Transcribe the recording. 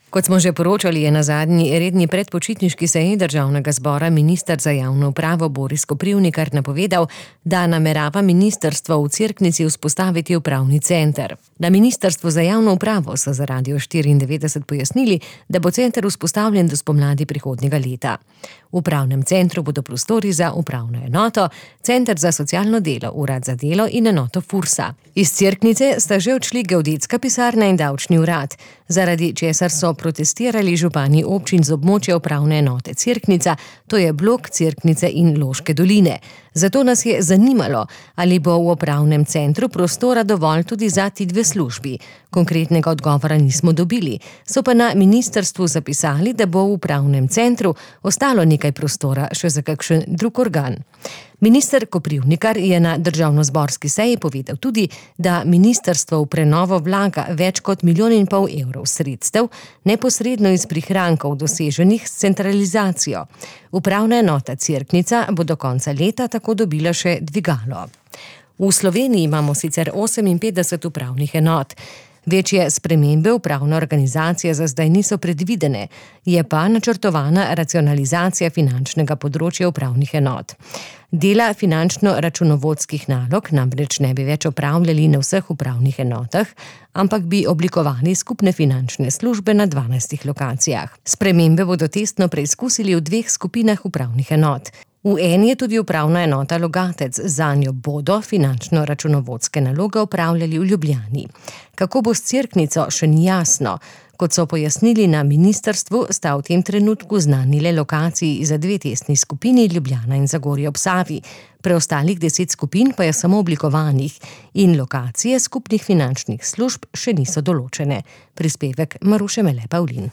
Kot smo že poročali, je na zadnji redni predpočitniški seji Državnega zbora minister za javno upravo Boris Koprivnikar napovedal, da namerava ministrstvo v Cerknici vzpostaviti upravni center. Na Ministrstvu za javno upravo so za Radio 94 pojasnili, da bo center vzpostavljen do spomladi prihodnjega leta. V upravnem centru bodo prostori za upravno enoto, center za socialno delo, urad za delo in enoto Fursa. Iz Cerknice sta že odšli geodetska pisarna in davčni urad, zaradi česar so protestirali župani občin z območja upravne enote Cerknica, to je blok Cerknice in Loške doline. Zato nas je zanimalo, ali bo v upravnem centru prostora dovolj tudi za ti dve službi. Konkretnega odgovora nismo dobili, so pa na ministrstvu zapisali, da bo v upravnem centru ostalo nekaj prostora še za kakšen drug organ. Minister Koprivnikar je na državnozborski seji povedal tudi, da ministrstvo v prenovo vlaga več kot 1,5 milijona evrov sredstev, neposredno iz prihrankov doseženih s centralizacijo. Upravna enota Cerknica bo do konca leta tako dobila še dvigalo. V Sloveniji imamo sicer 58 upravnih enot. Večje spremembe upravne organizacije za zdaj niso predvidene, je pa načrtovana racionalizacija finančnega področja upravnih enot. Dela finančno-računovodskih nalog namreč ne bi več opravljali na vseh upravnih enotah, ampak bi oblikovali skupne finančne službe na 12 lokacijah. Spremembe bodo testno preizkusili v 2 skupinah upravnih enot. V eni je tudi upravna enota Logatec, zanjo bodo finančno-računovodske naloge opravljali v Ljubljani. Kako bo s Cerknico, še ni jasno. Kot so pojasnili na ministrstvu, sta v tem trenutku znani le lokaciji za 2 testni skupini, Ljubljana in Zagorje ob Savi. Preostalih 10 skupin pa je samo oblikovanih in lokacije skupnih finančnih služb še niso določene. Prispevek Maruše Mele Pavlin.